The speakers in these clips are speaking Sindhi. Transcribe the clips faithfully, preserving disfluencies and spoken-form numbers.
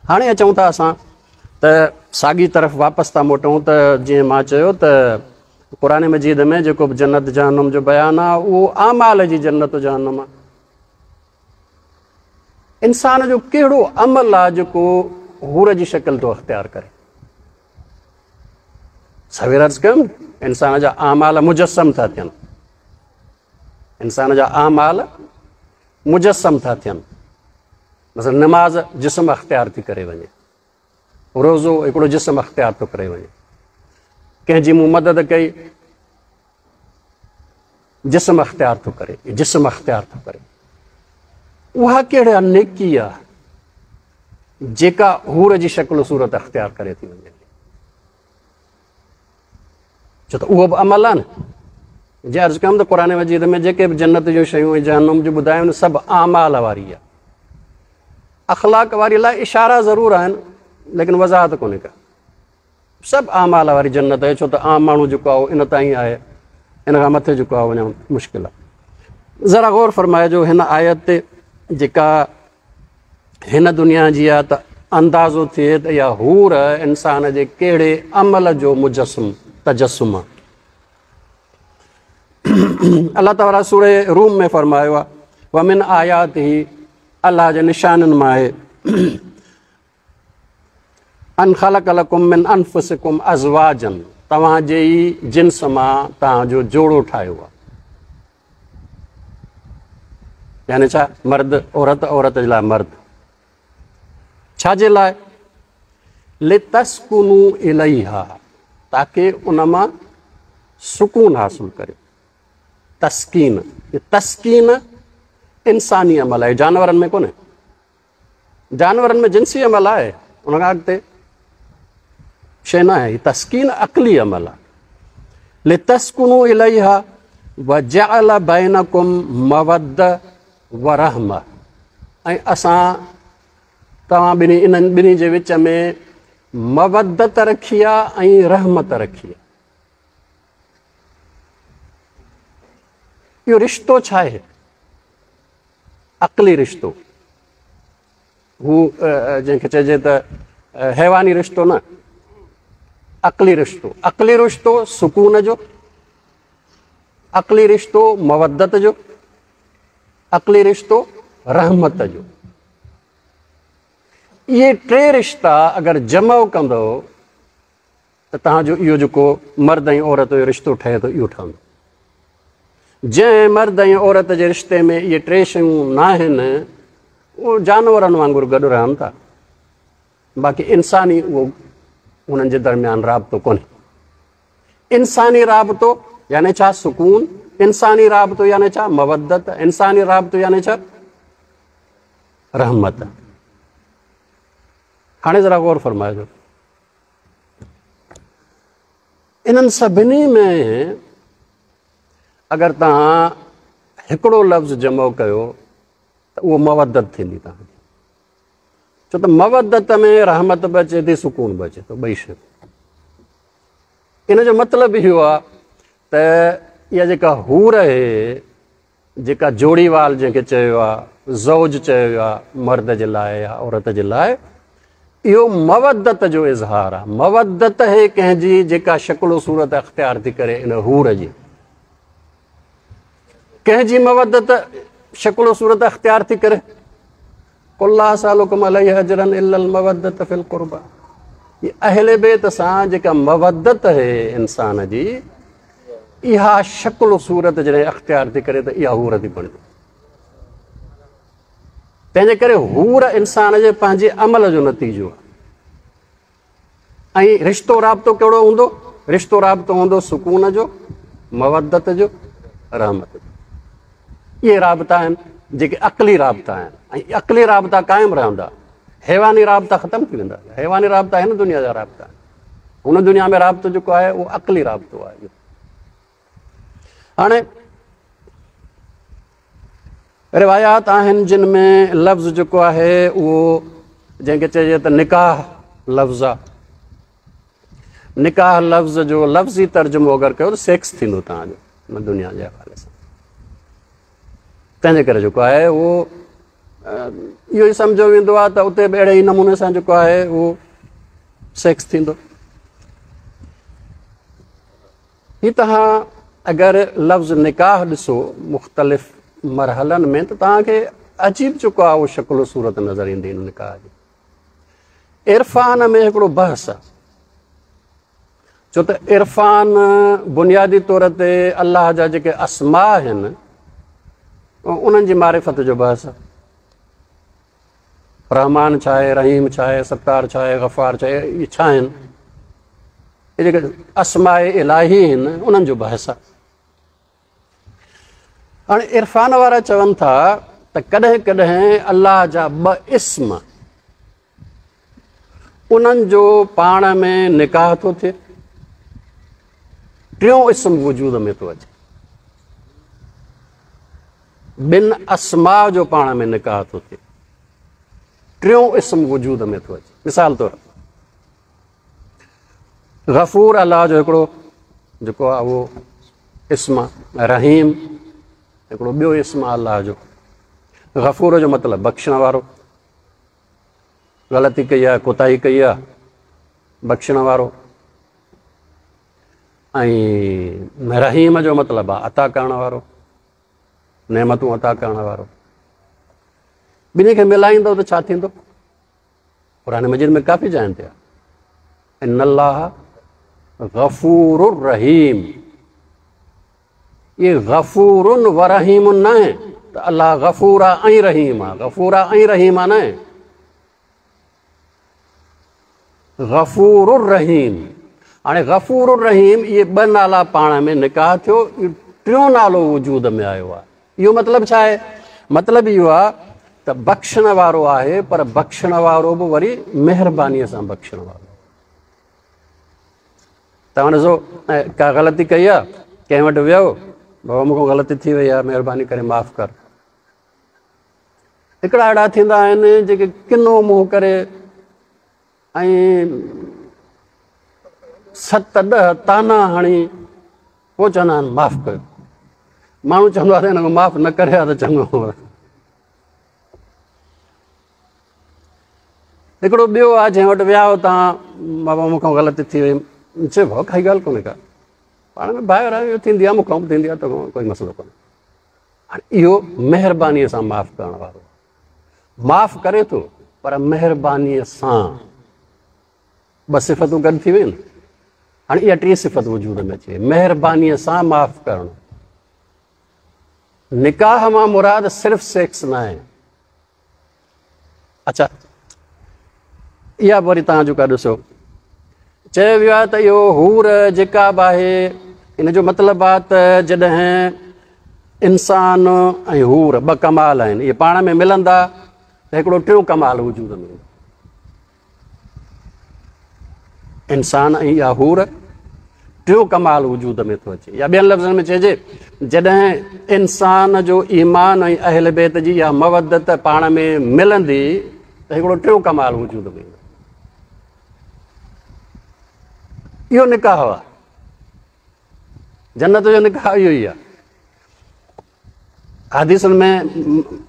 هاڻي اچون ٿا اسان ته ساڳي طرف واپس ٿا موٽون ته جيئن مان چيو ته قرآن مجيد ۾ جيڪو به جنت جهنم جو بيان آهي اهو اعمال جي جنت جهنم آهي. انسان جو ڪهڙو عمل آهي جيڪو حور جي شڪل ٿو اختيار ڪري؟ سوير عرض ڪيم انسان جا اعمال مجسم ٿا ٿين، انسان جا اعمال مجسم ٿا ٿين. مثلا نماز جسم اختيار ٿي ڪري وڃي، روزو هڪڙو جسم اختيار ٿو ڪري وڃي، ڪنهن جي مون مدد ڪئي جسم اختيار ٿو ڪري، جسم اختيار ٿو ڪري. اها ڪهڙا نيڪي آهي جيڪا حور جي شڪل صورت اختيار ڪري ٿي وڃي؟ ڇو ته اهو به عمل آهي نه. جي عرض ڪيم ته قرآن مجيد ۾ جيڪي به جنت جون شيون ۽ جهنم جون ٻڌايون سڀ اعمال واري آهي. اخلاق واري لاءِ اشارا ضرور آهن ليڪن وضاحت ڪونهي ڪا. سڀ اعمال واري جنت آهي، ڇو ته عام ماڻهو جيڪو آهي ان تائين آهي، ان کان مٿي جيڪو آهي وڃڻ مشڪل آهي. ذرا غور فرمائجو هن آيت تي جيڪا هن دنيا جي آهي ته اندازو ٿئي ته اها حور انسان جي ڪهڙي عمل جو مجسم تجسم آهي. الله تعاليٰ سورة روم ۾ فرمايو آهي ومن آياته، الله جي نشانن مان آهي ان خلق لڪم من انفسڪم ازواجن، توهان جي ئي جنس مان توهان جو جوڙو ٺاهيو آهي. يعني ڇا؟ مرد عورت، عورت جي لاءِ مرد. ڇا جي لاءِ؟ لتسڪنوا اليها، تاڪه ان مان سڪون حاصل ڪريو. تسڪين، تسڪين انساني عمل آهي، جانورن ۾ ڪونهي. جانورن ۾ جنسي عمل آهي، ان کان اڳتي شيءِ نه آهي. تسڪين عقلي عمل آهي. لتسڪنوا اليها وجعل بينڪم موده ورحمه، ۽ اسان توهان ٻنهي انهن ٻنهي جي وچ ۾ مودت رکي آهي ۽ رحمت رکي آهي. اهو رشتو ڇا آهي؟ عقلي رشتو. هو جنهن کي چئجي ته حيواني رشتو نه، عقلي رشتو. عقلي رشتو سڪون جو، عقلي رشتو مودت جو، عقلي رشتو رحمت جو. اهي ٽي رشتا اگر جمع ڪندؤ ته توهان جو اهو جيڪو مرد ۽ عورت جو رشتو ٺهي ٿو اهو ٺهندو. جنهن مرد ۽ عورت جي رشتي ۾ اهي ٽي شيون نه آهن اهو جانورن وانگر گڏ رهن ٿا، باقي انساني اهو انهن جي درميان رابطو ڪونهي. انساني رابطو يعني ڇا؟ سڪون. انساني رابطو يعني ڇا؟ مودت. انساني رابطو يعني ڇا؟ رحمت. هاڻي ذرا غور فرمائجو انهن سڀني ۾ اگر توهان هڪڙو لفظ جمع ڪيو ته اهو مودت ٿيندي توهان جي. ڇو ته مودت ۾ رحمت به اچي ٿي، سڪون به اچي ٿو، ٻئي شيون. ان جو مطلب اهو آهي ته اها جيڪا حور آهي، جيڪا جوڙيوال جنهن کي چيو آهي، زوج چيو ويو آهي مرد جي لاءِ يا عورت جي لاءِ، اهو مودت جو اظهار آهي. مودت آهي ڪنهن جي جيڪا شڪل صورت اختيار ٿي ڪري ان حور جي. ڪنهن جي مودت شڪل صورت اختيار ٿي ڪري؟ قل لا اسالڪم عليه اجرا الا المودة في القربى. اهل بيت سان جيڪا مودت آهي انسان جي، اها شڪل صورت جڏهن اختيار ٿي ڪري ته اها حور ٿي بڻجي. تنهن جي ڪري حور انسان جي پنهنجي عمل جو نتيجو آهي. ۽ رشتو رابطو ڪهڙو هوندو؟ رشتو رابطو هوندو سڪون جو، مودت جو، رحمت جو. اهي رابطا آهن جيڪي عقلي رابطا آهن، ۽ عقلي رابطا قائم رهندا، حيواني رابطا ختم ٿي ويندا. حيواني رابطا هن دنيا جا رابطا آهن، هن دنيا ۾ رابطو جيڪو آهي اهو عقلي رابطو آهي. هاڻي روايات آهن جن ۾ لفظ جيڪو آهي اهو جنهن کي چئجي ته نڪاح لفظ آهي. نڪاح لفظ جو لفظي ترجمو اگر ڪيو ته سيڪس ٿيندو توهان جو هن دنيا جي حوالي سان. تنهن جي ڪري جيڪو آهي اهو اهو ئي سمجهيو ويندو آهي ته اتي به اهڙي ئي نموني سان جيڪو آهي اهو سيڪس ٿيندو. هي توهان اگر لفظ نڪاح ڏسو مختلف مرحلن ۾ ته توهان کي عجيب جيڪو آهي اهو شڪل و صورت نظر ايندي هن نڪاح جي. عرفان ۾ هڪڙو بحث آهي، ڇو ته عرفان بنيادي طور تي الله جا جيڪي اسما آهن انهن جي معرفت جو بحث آهي. رحمان ڇا آهي، رحيم ڇا آهي، ستار ڇا آهي، غفار ڇا آهي، اهي ڇا آهن، اهي جيڪي اسماء الاهي آهن انهن جو بحث آهي. هاڻي عرفان وارا چون ٿا ته ڪڏهن ڪڏهن الله جا ٻه اسم انهن جو پاڻ ۾ نڪاح ٿو ٿئي، ٽيون اسم وجود ۾ ٿو اچي. ٻن اسماء جو پاڻ ۾ نڪاح ٿو ٿئي، ٽيون اسم وجود ۾ ٿو اچي. مثال طور غفور الله جو هڪڙو جيڪو آهي اهو اسم آهي، رحيم هڪڙو ٻيو اسم آهي الله جو. غفور جو مطلب بخشڻ وارو، غلطي ڪئي آهي، ڪوتاهي ڪئي آهي، بخشڻ وارو. ۽ رحيم جو مطلب آهي عطا ڪرڻ وارو، نعمتون عطا ڪرڻ وارو. ٻنهي کي ملائيندو ته ڇا ٿيندو؟ قرآن مجيد ۾ ڪافي جاين تي آهي ان الله غفور رحيم. اهي غفور و رحيم نه آهي ته الله غفور آهي ۽ رحيم آهي، غفور آهي ۽ رحيم آهي نه آهي، غفور الرحيم. هاڻي غفور الرحيم اهي ٻه نالا پاڻ ۾ نڪاح ٿيو، ٽيون نالو وجود ۾ آيو آهي. اهو مطلب ڇا آهي؟ مطلب اهو آهي ته بخشڻ وارو آهي، پر بخشڻ وارو به وري مهربانيءَ سان بخشڻ وارو. توهان ڏسو ڪا غلطي ڪئي آهي، ڪنهن وٽ ويو، بابا مون کان غلطي ٿي وئي آهي، مهرباني ڪري معاف ڪر. هڪڙا اهڙا ٿيندا آهن جيڪي ڪنو منهن ڪري ۽ ست ڏهه تانا هڻي پوءِ چوندا آهن معاف ڪيو. ماڻهو چوندو آهي ته هن کي معاف نه ڪري ها ته چڱو هو. هڪڙو ٻيو آهي جنهن وٽ ويا هو توهان، بابا مون کان غلطي ٿي وئي، چئي ڀاءُ ڪائي ڳالهه ڪونهي ڪا، پاڻ ۾ ڀائر آهيون، ٿيندي آهي، مون کان به ٿيندي آهي، ته ڪوئي مسئلو ڪونهي. هاڻي اهو مهربانيءَ سان معاف ڪرڻ وارو معاف ڪري ٿو، پر مهربانيءَ سان. ٻه صفتون گڏ ٿي ويون. هاڻي اها ٽين صفت وجود ۾ اچي وئي، مهربانيءَ سان معاف ڪرڻ. نڪاح مان مراد صرف سيڪس نه آهي. اڇا اها به وري توهان جيڪا ڏسو، چيو ويو آهي ته اهو حور جيڪا به آهي ان جو مطلب آهي ته جڏهن انسان ۽ حور ٻه ڪمال آهن، اهي پاڻ ۾ ملندا ته هڪڙو ٽيون ڪمال وجود ۾ ايندو. انسان ۽ اها حور ٽيون ڪمال وجود ۾ ٿو اچي. يا ٻين لفظن ۾ چئجي جڏهن انسان جو ايمان ۽ اهل بيت جي اها مودت پاڻ ۾ ملندي ته هڪڙو ٽيون ڪمال وجود ۾ ايندو. اهو نڪاح آهي، جنت جو نڪاح اهو ئي آهي. حديثن ۾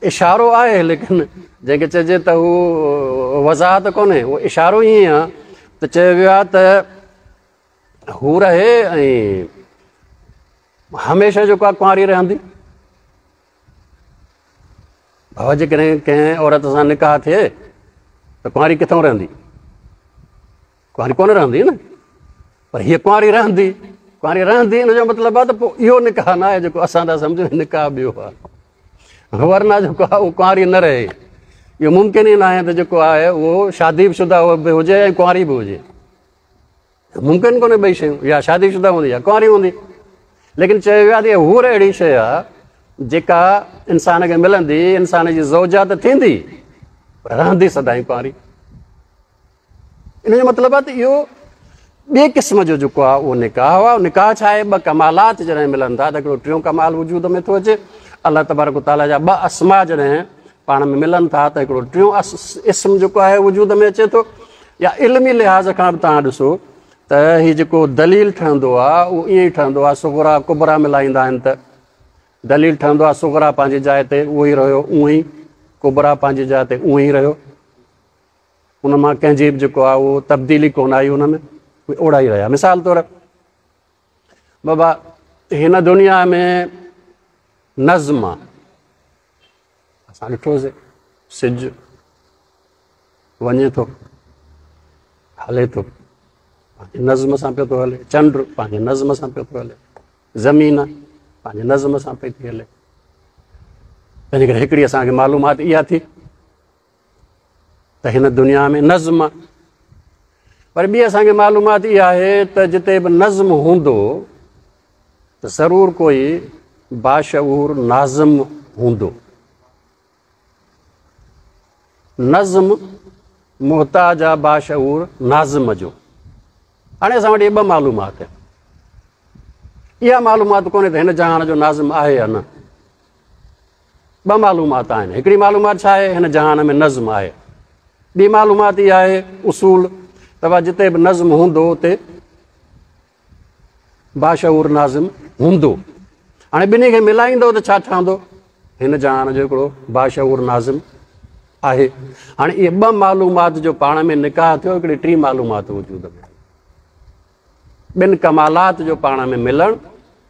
اشارو آهي، ليڪن جنهن کي چئجي ته هو وضاحت ڪونهي، اهو اشارو ائين آهي ته چيو ويو آهي ته هو رهي ۽ هميشه جيڪو آهي ڪنواري رهندي. بابا جيڪڏهن ڪنهن عورت سان نڪاح ٿئي ته ڪنواري ڪٿان رهندي؟ ڪنواري ڪونه رهندي نه، پر هيءَ ڪنواري رهندي. ڪنواري رهندي ان جو مطلب آهي ته پوءِ اهو نڪاح نه آهي جيڪو اسان ٿا سمجهون، نڪاح ٻيو آهي. ورنه جيڪو آهي اهو ڪنواري نه رهي، اهو ممڪن ئي نه آهي ته جيڪو آهي اهو شادي شده به هجي ۽ ڪنواري به هجي، ممڪن ڪونهي ٻئي شيون، يا شادي شده هوندي يا ڪنواري هوندي. ليڪن چيو ويو آهي ته هور اهڙي شيءِ آهي جيڪا انسان کي ملندي، انسان جي زوجا ته ٿيندي پر رهندي سدائين ڪنواري. ان جو مطلب آهي ته اهو ٻئي قسم جو جيڪو آهي اهو نڪاح آهي. نڪاح ڇا آهي؟ ٻه ڪمالات جڏهن ملن ٿا ته هڪڙو ٽيون ڪمال وجود ۾ ٿو اچي. الله تبارڪ تعاليٰ جا ٻه اسما جڏهن پاڻ ۾ ملن ٿا ته هڪڙو ٽيون اسم جيڪو آهي وجود ۾ اچي ٿو. يا علمي لحاظ کان به توهان ڏسو ته هيءُ جيڪو دليل ٺهندو آهي اهو ائين ئي ٺهندو آهي. صغرا ڪبرا ملائيندا آهن ته دليل ٺهندو آهي، صغرا پنهنجي جاءِ تي اهو ئي رهيو اونئن ئي، ڪبريٰ پنهنجي جاءِ تي اونئن ئي رهيو، ان مان ڪنهن جي به جيڪو آهي اهو تبديلي ڪونه آئي، ان ۾ اهي اوڙا ئي رهيا. مثال طور بابا هن دنيا ۾ نظم آهي، اسان ڏٺوسين سج وڃي ٿو هلي ٿو پنهنجي نظم سان پيو ٿو هلي، چنڊ پنهنجي نظم سان پيو ٿو هلي، زمين پنهنجي نظم سان پئي ٿي هلي. تنهن ڪري هڪڙي اسان کي معلومات اها ٿي ته هن دنيا ۾ نظم آهي. پر ٻي اسان کي معلومات اها آهي ته جتي به نظم هوندو ته ضرور ڪوئي باشعور ناظم هوندو. نظم محتاج آهي باشعور ناظم جو. هاڻي اسان وٽ اهي ٻه معلومات آهن. اها معلومات ڪونهي ته هن جهان جو ناظم آهي يا نه. ٻه معلومات آهن. هڪڙي معلومات ڇا آهي؟ هن جهان ۾ نظم آهي. ٻي معلومات اها آهي اصول ته جتي به نظم هوندو اتي باشعور ناظم هوندو. هاڻي ٻنهي کي ملائيندو ته ڇا ٺهندو؟ هن جهان جو هڪڙو باشعور ناظم آهي. هاڻي اهي ٻه معلومات جو پاڻ ۾ نڪاح ٿيو، هڪڙي ٽي معلومات وجود ۾ آئي. ٻن ڪمالات جو پاڻ ۾ ملڻ،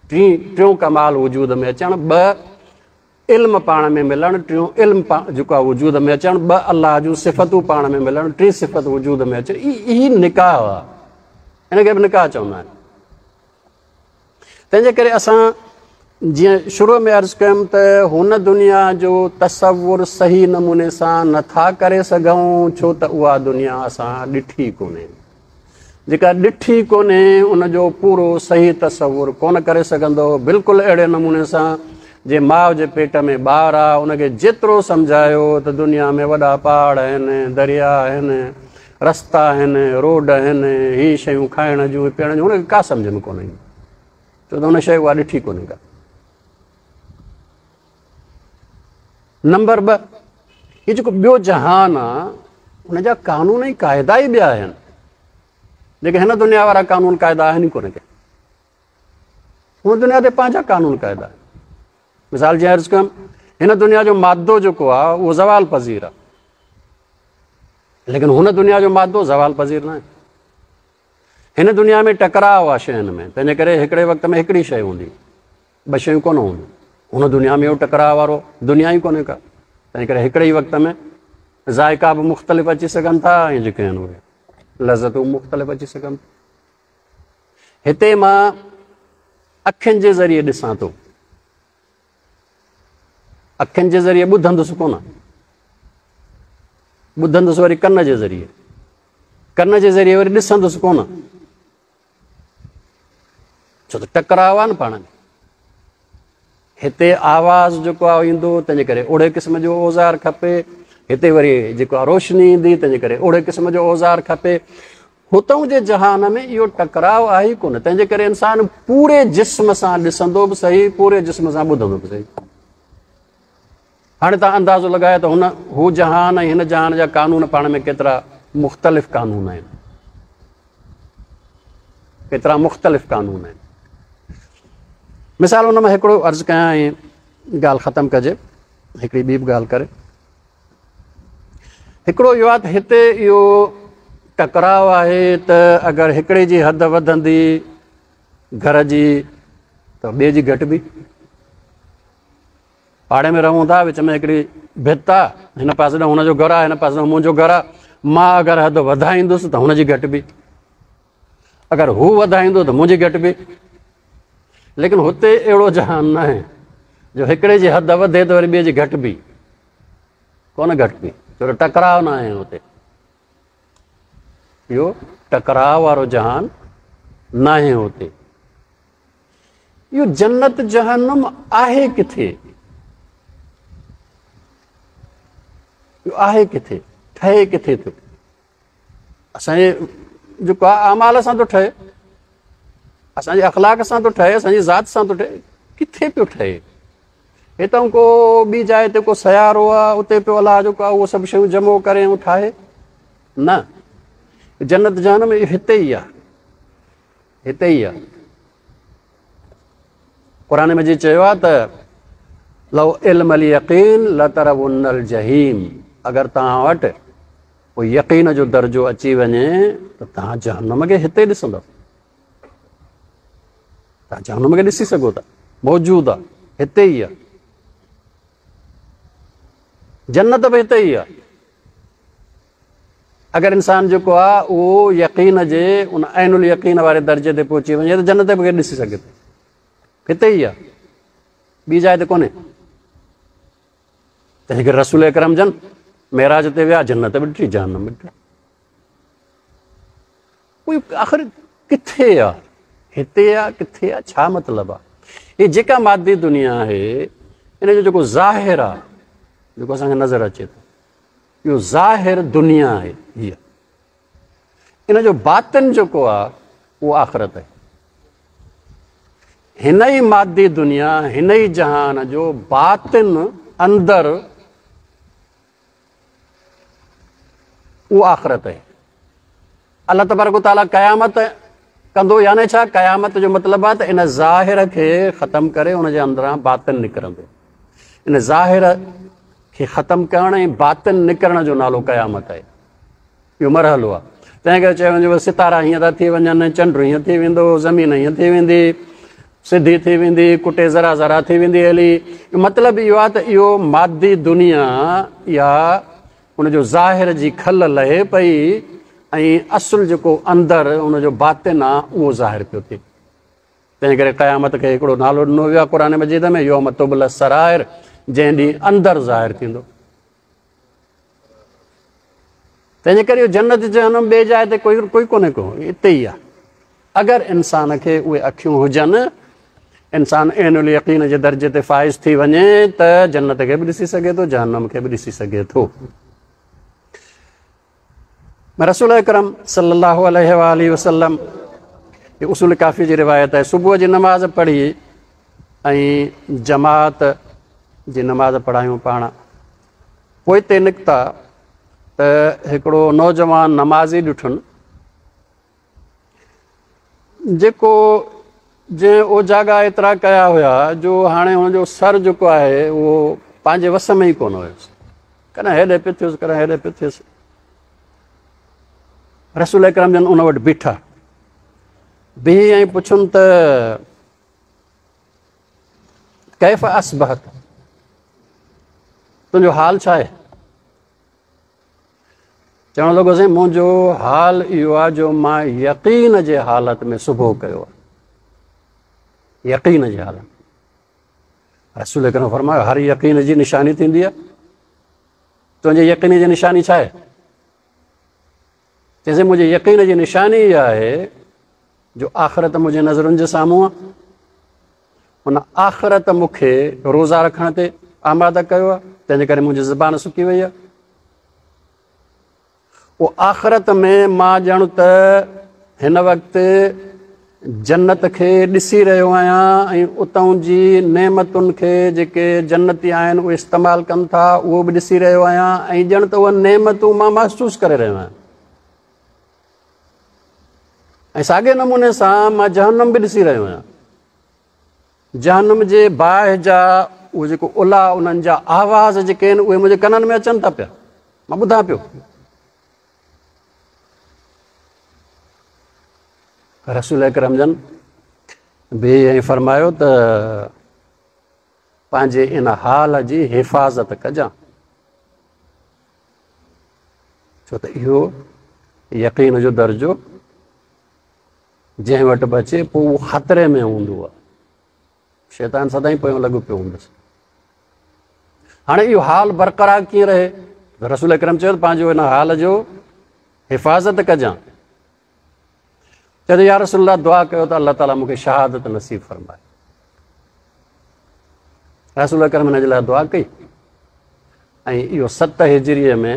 ٽي ٽيون ڪمال وجود ۾ اچڻ، ٻه علم پاڻ ۾ ملڻ، ٽيون علم جيڪو آهي وجود ۾ اچڻ، ٻه الله جون صفتون پاڻ ۾ ملڻ، ٽي صفت وجود ۾ اچڻ. اهي نڪاح آهي، هن کي به نڪاح چوندا آهن. تنهن جي ڪري اسان جيئن شروع ۾ عرض ڪيم ته هن دنيا جو تصور صحيح نموني سان نٿا ڪري سگهون، ڇو ته اها دنيا اسان ڏٺي ڪونهي. جيڪا ڏٺي ڪونهي ان جو پورو صحيح تصور ڪونه ڪري سگهندو. بلڪل اهڙي نموني سان جي ماءُ جي پيٽ ۾ ٻار آهي، ان کي جيترو سمجهايو ته دنيا ۾ وڏا پهاڙ آهن، دريا آهن، رستا آهن، روڊ آهن، هي شيون کائڻ جون پيئڻ جون، هن کي ڪا سمجهه ۾ ڪونه ايندي، ڇو ته هن شيءِ اها ڏٺي ڪونهي ڪا. نمبر ٻه، هي جيڪو ٻيو جهان آهي هن جا قانون ۽ قاعدا ئي ٻيا آهن، جيڪي هن دنيا وارا قانون قاعدا آهن ئي ڪونه ڪي. هن دنيا تي پنهنجا قانون قاعدا آهن. مثال جيئن عرض ڪيم، هن دنيا جو مادو جيڪو آهي اهو زوال پذير آهي، ليڪن هن دنيا جو مادو زوال پذير نه آهي. هن دنيا ۾ ٽڪراءُ آهي شين ۾، تنهن جي ڪري هڪڙي وقت ۾ هڪڙي شيءِ هوندي، ٻه شيون ڪونه هونديون. هن دنيا ۾ اهو ٽڪراءُ وارو دنيا ئي ڪونهي ڪا، تنهن ڪري هڪڙي ئي وقت ۾ ذائقا به مختلف اچي سگهن ٿا ۽ جيڪي آهن اهي لذتون مختلف اچي سگهن ٿيون. هتي مان اکين جي ذريعي ڏسان ٿو، اکين جي ذريعي ٻڌندس ڪونه، ٻڌندس وري ڪن جي ذريعي، ڪن جي ذريعي وري ڏسندس ڪونه، ڇو ته ٽڪراءُ آهي نه پاڻ ۾. هتي آواز جيڪو آهي ايندو، تنهن جي ڪري اوڙي قسم جو اوزار کپي. هتي وري جيڪو آهي روشني ايندي، تنهن جي ڪري اوڙي قسم جو اوزار کپي. هتان جي جهان ۾ اهو ٽڪراءُ آهي ئي ڪونه، تنهن جي ڪري انسان پوري جسم سان ڏسندو به صحيح، پوري جسم سان ٻڌندو به صحيح. هاڻي توهان اندازو لڳايو ته هن هو جهان ۽ هن جهان جا قانون پاڻ ۾ ڪيترا مختلف قانون آهن، ڪيترا مختلف قانون آهن. مثال هن مان هڪڙو عرض ڪيان ۽ ڳالهه ختم ڪجي، هڪڙي ٻي به ڳالهه ڪري. هڪڙو اهو آهي ته هتي اهو ٽڪراءُ آهي ته اگر هڪڙي جي حد وڌندي گهر جي ته ٻئي جي گهٽبي. پاڙي ۾ رهون ٿا، وچ ۾ هڪڙي ڀت آهي، هن پاسي ڏانهن هن جو گهر آهي، هن پاسي ڏانهن منهنجو گهر آهي. مان اگر حد وڌائيندس ته هن جي گهٽبي، اگر هو وڌائيندو ته منهنجي گهٽبي. ليڪن هتي اهڙو جهان نه آهي جو هڪڙي جي حد وڌي ته وري ٻئي جي گهٽبي ڪونه، گهٽبي، ڇو ته ٽڪراءُ نه آهي هتي. اهو ٽڪراءُ وارو جهان نه آهي هتي. اهو جنت جهنم آهي ڪٿي؟ اهو آهي ڪٿي؟ ٺهي ڪٿي ٿو؟ اسان جي جيڪو آهي اعمال سان ٿو ٺهي، اسان جي اخلاق سان ٿو ٺهي، اسان جي ذات سان ٿو ٺهي، ڪٿي پيو ٺهي؟ هتان ڪو ٻي جاءِ تي ڪو سيارو آهي، اتي پيو الله جيڪو آهي اهو سڀ شيون جمعو ڪري ۽ ٺاهي؟ نه، جنت جهنم هتي ئي آهي، هتي ئي آهي. قرآن مجيد چيو آهي ته لو علم اليقين لترون الجحيم، اگر توهان وٽ پوءِ يقين جو درجو اچي وڃي ته توهان جهنم کي هتي ڏسندؤ، توهان جهنم کي ڏسي سگهو ٿا، موجود آهي، هتي ئي آهي. جنت به هتي ئي آهي. اگر انسان جيڪو آهي اهو يقين جي ان عين اليقين واري درجي تي پهچي وڃي ته جنت به ڏسي سگهي ٿو، هتي ئي آهي، ٻي جاءِ تي ڪونهي. تنهن ڪري رسول اڪرم جن معراج تي ويا، جنت به ڏٺي، جهنم به ڏٺي. ڪوئي آخر ڪٿي آهي؟ هتي آهي، ڪٿي آهي؟ ڇا مطلب آهي؟ هيءَ جيڪا مادي دنيا آهي ان جو جيڪو ظاهر آهي، جيڪو اسان کي نظر اچي ٿو، اهو ظاهر دنيا آهي هيءَ. ان جو باطن جيڪو آهي اهو آخرت آهي. هن ئي مادي دنيا، هن ئي جهان جو باطن اندر اهو آخرت آهي. الله تبارڪ وتعاليٰ قيامت ڪندو، يعني ڇا؟ قيامت جو مطلب آهي ته ان ظاهر کي ختم ڪري ان جي اندران باطن نڪرندو. ان ظاهر کي ختم ڪرڻ ۽ باطن نڪرڻ جو نالو قيامت آهي. اهو مرحلو آهي. تنهن ڪري چيو وڃي ستارا هيئن ٿا ٿي وڃن، چنڊ هيئن ٿي ويندو، زمين هيئن ٿي ويندي، سڌي ٿي ويندي، ڪٽي ذرا ذرا ٿي ويندي هلي. مطلب اهو آهي ته اهو مادي دنيا يا ان جو ظاهر جي کل لهي پئي ۽ اصل جيڪو اندر ان جو باطن آهي اهو ظاهر پيو ٿئي. تنهن ڪري قيامت کي هڪڙو نالو ڏنو ويو آهي قرآن مجيد ۾ يوم تبلى السرائر، جنهن ڏينهن اندر ظاهر ٿيندو. تنهن جي ڪري اهو جنت جهنم ٻئي جاءِ تي ڪوئي ڪوئي ڪونهي ڪو، هتي ئي آهي. اگر انسان کي اهي اکيون هجن، انسان عين اليقين جي درجي تي فائز ٿي وڃي ته جنت کي به ڏسي سگهي ٿو، جهنم کي به ڏسي سگهي ٿو. رسول اڪرم صلي الله عليه واله وسلم، هي اصول ڪافي جي روايت آهي، صبح جي نماز پڙهي ۽ جماعت جي نماز پڙهايون پاڻ، پوئتي نڪتا ته هڪڙو نوجوان نمازي ڏٺن جيڪو جنهن اوجاڳا ايترا ڪيا هئا جو هاڻي هن جو سر جيڪو آهي اهو پنهنجي وس ۾ ئي ڪونه هيس، ڪڏهن هيڏي پيو ٿيس، ڪڏهن هيڏي پيو ٿيس. رسول اڪرم جن ان وٽ بيٺا، بيهي ۽ پڇن ته ڪيف اصبحت، تنهنجو حال ڇا آهي؟ چوڻ لڳو سائين منهنجو حال اهو آهي جو مان يقين جي حالت ۾ صبح ڪيو آهي، يقين جي حالت. رسول اڪرم فرمايو هر يقين جي نشاني ٿيندي آهي، تنهنجي يقين جي نشاني ڇا آهي؟ چئي منهنجي يقين جي نشاني اها آهي جو آخرت منهنجي نظرن جي سامهون آهي، ان آخرت مون کي روزا رکڻ تي آماده ڪيو آهي، تنهن جي ڪري منهنجي زبان سڪي وئي آهي. اهو آخرت ۾ مان ڄڻ ته هن وقت جنت کي ڏسي رهيو آهيان ۽ اتان جي نعمتن کي جيڪي جنتي آهن اهي استعمال ڪن ٿا اهو به ڏسي رهيو آهيان ۽ ڄڻ ته اهي نعمتون مان محسوس ڪري رهيو آهيان. ۽ ساڳئي نموني سان مان جهنم به ڏسي رهيو آهيان، جهنم جي باهه جا اهي جيڪو الا انهن جا آواز جيڪي آهن اهي منهنجي ڪنن ۾ اچن ٿا پيا، مان ٻڌان پيو. رسول اڪرم جن به ائين فرمايو ته پنهنجي ان حال جي حفاظت ڪجان، ڇو ته اهو يقين جو درجو جنهن وٽ به اچي پوءِ اهو خطري ۾ هوندو آهي، شيطان سدائين پويان لڳو پيو هوندس. هاڻي اهو حال برقرار ڪيئن رهي؟ رسول اڪرم چيو ته پنهنجو ان حال جو حفاظت ڪجان. چئي ٿو يا رسول الله دعا ڪيو ته الله تعاليٰ مون کي شهادت نصيب فرمائي. رسول اڪرم هن جي لاءِ دعا ڪئي ۽ اهو ست هجريءَ ۾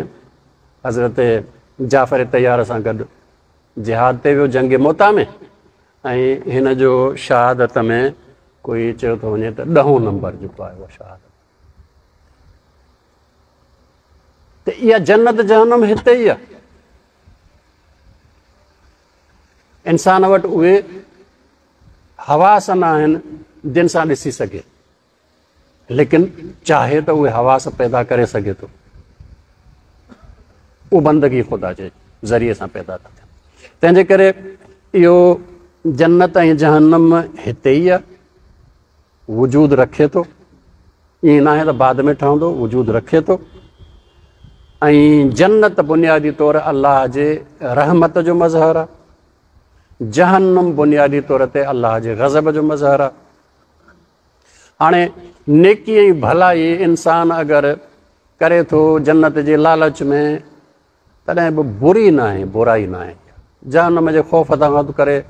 حضرت جعفر طيار سان گڏ جهاد تي ويو جنگ موتا ۾ ۽ هن جو شهادت ۾ ڪوئي چيو ٿو وڃي ته ڏهون نمبر جيڪو آهي اها شهادت. ته اها جنت جهنم هتي ئي آهي. انسان وٽ اهي حواس نه آهن جن سان ڏسي سگهي. लेकिन चाहे त उहे हवास पैदा करे सघे थो। उहो बंदगी ख़ुदा जे ज़रिए सां पैदा था थियनि। तंहिंजे करे इहो जन्नत ऐं जहन्नम हिते ई आहे, वजूद रखे थो, ईअं न आहे त बाद में ठहंदो, वजूद रखे थो। ऐं जन्नत बुनियादी तौर अल्लाह जे रहमत जो मज़हर आहे, जहन्नम बुनियादी तौर ते अल्लाह जे गज़ब जो मज़हर आहे। हाणे नेकी ऐं भलाई इंसान अगरि करे थो जन्नत जे लालच में, तॾहिं बि बुरी न आहे, बुराई न आहे। जहन्नम जे ख़ौफ़ तां करे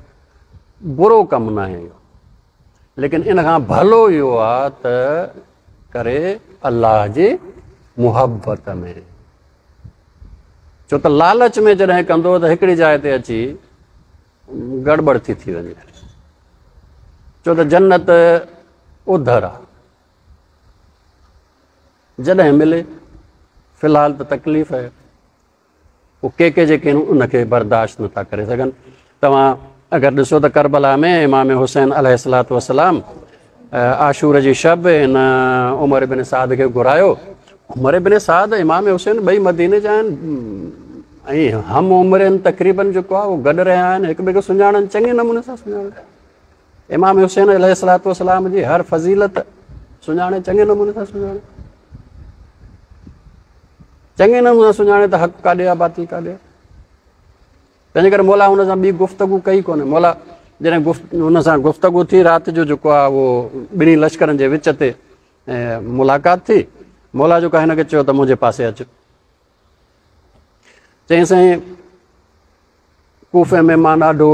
बुरो कमु न आहे इहो, लेकिन इन खां भलो इहो आहे त करे अल्लाह जी मुहबत में। छो त लालच में जॾहिं कंदो त हिकिड़ी जाइ ते अची गड़बड़ थी थी वञे, छो त जन्नत उधर आहे, जॾहिं मिले। फ़िलहाल त तकलीफ़ आहे, उहे के के जेके आहिनि उनखे बर्दाश्त नथा करे सघनि। तव्हां अगरि ॾिसो त करबला में इमाम हुसैन अलैहिस्सलातु वस्सलाम आशूर जी शब हिन उमर बिन साद खे घुरायो। उमर बिन साद इमाम हुसैन ॿई मदीने जा आहिनि ऐं हम उम्र आहिनि, तक़रीबन जेको आहे उहो गॾु रहिया आहिनि, हिक ॿिए खे सुञाणनि, चङे नमूने सां सुञाणनि। इमाम हुसैन अलैहिस्सलातु वस्सलाम जी हर फ़ज़ीलत सुञाणे, चङे नमूने सां सुञाणे, चङे नमूने सां सुञाणे त हक़ काॾे आहे, बातिल काॾे आहे। तंहिंजे करे मौला हुन सां ॿी गुफ़्तगू कई कोन्हे। मौला जॾहिं गुफ़ हुन सां गुफ़्तगू थी, राति जो जेको आहे उहो ॿिन्ही लश्करनि जे विच ते मुलाक़ात थी। मौला जेको आहे हिन खे चयो त मुंहिंजे पासे अचु। चयईं साईं कूफे में मां ॾाढो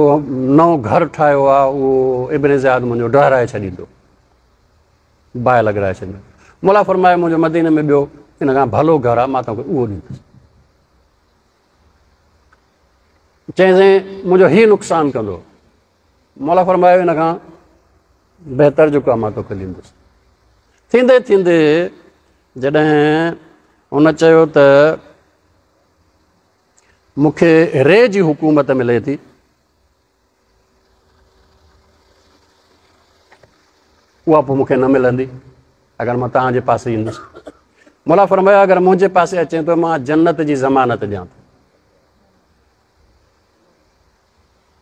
नओं घर ठाहियो आहे, उहो इब्न ज़ियाद मुंहिंजो डहराए छॾींदो, बाहि लॻाए छॾींदो। मौला फरमायो मुंहिंजो मदीने में ॿियो इन खां भलो घर आहे, मां तव्हांखे उहो ॾींदुसि। चयईं साईं मुंहिंजो हीउ नुक़सानु कंदो। मौला फरमायो इन खां बहितर जेको आहे मां तोखे ॾींदुसि। थींदे थींदे जॾहिं हुन चयो त मूंखे रे जी हुकूमत मिले थी, उहा पोइ मूंखे न मिलंदी अगरि मां तव्हांजे पासे ईंदुसि। मौला फरमायो अगरि मुंहिंजे पासे अचे थो मां जन्नत जी ज़मानत ॾियां थो,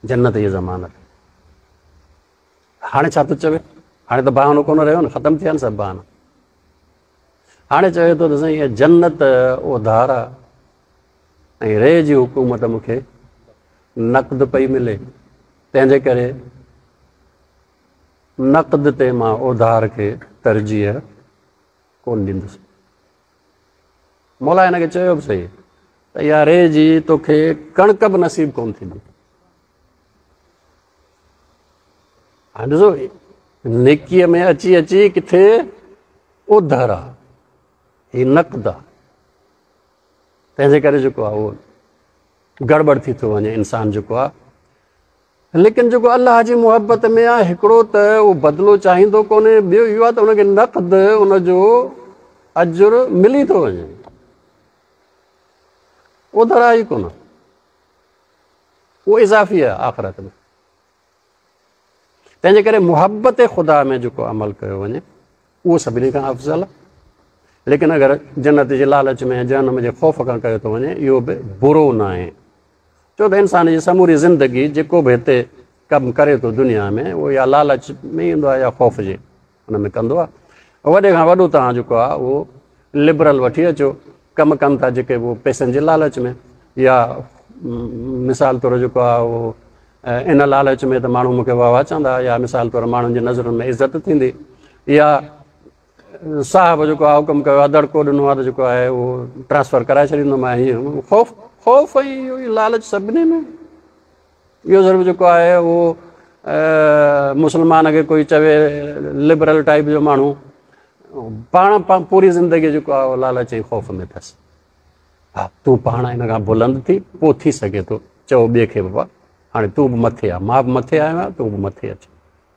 जन्नत जी ज़मानत। हाणे छा थो चवे? हाणे त बहानो कोन रहियो न, ख़तमु थिया आहिनि सभु बहाना। हाणे चवे थो त साईं इहा जन्नत उधार आहे ऐं रे जी हुकूमत मूंखे नक़द पई मिले, तंहिंजे करे नक़द ते मां उधार खे तरजीह कोन ॾींदुसि। मौला हिन खे चयो बि सही त इहा रे जी तोखे कणिक बि नसीब कोन थींदी। हाणे ॾिसो नेकीअ में अची अची किथे उधर आहे, हीउ नक़द आहे, तंहिंजे करे जेको आहे उहो गड़बड़ थी थो वञे इंसान जेको आहे। लेकिन जेको अल्लाह जी मुहबत में आहे, हिकिड़ो त उहो बदिलो चाहींदो कोन्हे, ॿियो इहो आहे त हुनखे नक़द उनजो अजुर मिली थो वञे, उधर आहे ई कोन, उहो इज़ाफ़ी आहे आख़िरत में। तंहिंजे करे मुहबत ख़ुदा में जेको अमल कयो वञे उहो सभिनी खां अफ़ज़ल आहे। लेकिन अगरि जन्नत जे लालच में जहन्नम जे ख़ौफ़ खां कयो थो वञे, इहो बि बुरो न आहे। छो त इंसान जी समूरी ज़िंदगी जेको बि हिते कमु करे थो दुनिया में, उहो या लालच में ईंदो आहे या ख़ौफ़ जे हुन में कंदो आहे। वॾे खां वॾो तव्हां जेको आहे उहो लिबरल वठी अचो, कमु कनि था जेके उहो पैसनि जे लालच में, या मिसाल तौरु जेको आहे उहो इन लालच में त माण्हू मूंखे वाह वाह चवंदा, या मिसाल तौरु माण्हुनि जी नज़रुनि में इज़त थींदी, या साहब जेको आहे हुकुम कयो आहे, दड़को ॾिनो आहे त जेको आहे उहो ट्रांसफ़र कराए छॾींदोमांइ। हीअं ख़ौफ़ ख़ौफ़ ऐं इहो ई लालच सभिनी में। इहो सिर्फ़ु जेको आहे उहो मुसलमान खे कोई चवे लिबरल टाइप जो माण्हू, पाण पूरी ज़िंदगी जेको आहे उहो लालच ऐं ख़ौफ़ में अथसि। हा, तूं पाण हिन खां बुलंद थी पोइ थी सघे थो चओ ॿिए खे बाबा हाणे तूं बि मथे आहे, मां बि मथे आयो आहियां, तूं बि मथे अच,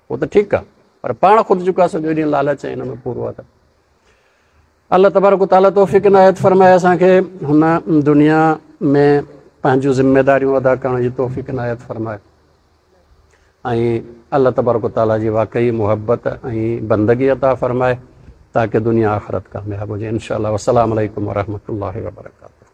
उहो त ठीकु आहे, पर पाण ख़ुदि जेको आहे सॼो ॾींहुं लालच ऐं हिन में पूरो आहे। त अलाह तबारक तआला तौफ़ीक़ इनायत फरमाए असांखे हुन दुनिया में पंहिंजूं ज़िम्मेदारियूं अदा करण जी तौफ़ीक़ इनायत फरमाए ऐं अलाह तबारक तआला जी वाकई मुहबत ऐं बंदगी अता फरमाए। ताकि दुनिया आखिरत कामयाब हुजे इंशाअल्लाह। अस्सलाम वालेकुम वरहमतुल्लाहि वबरकातुहू।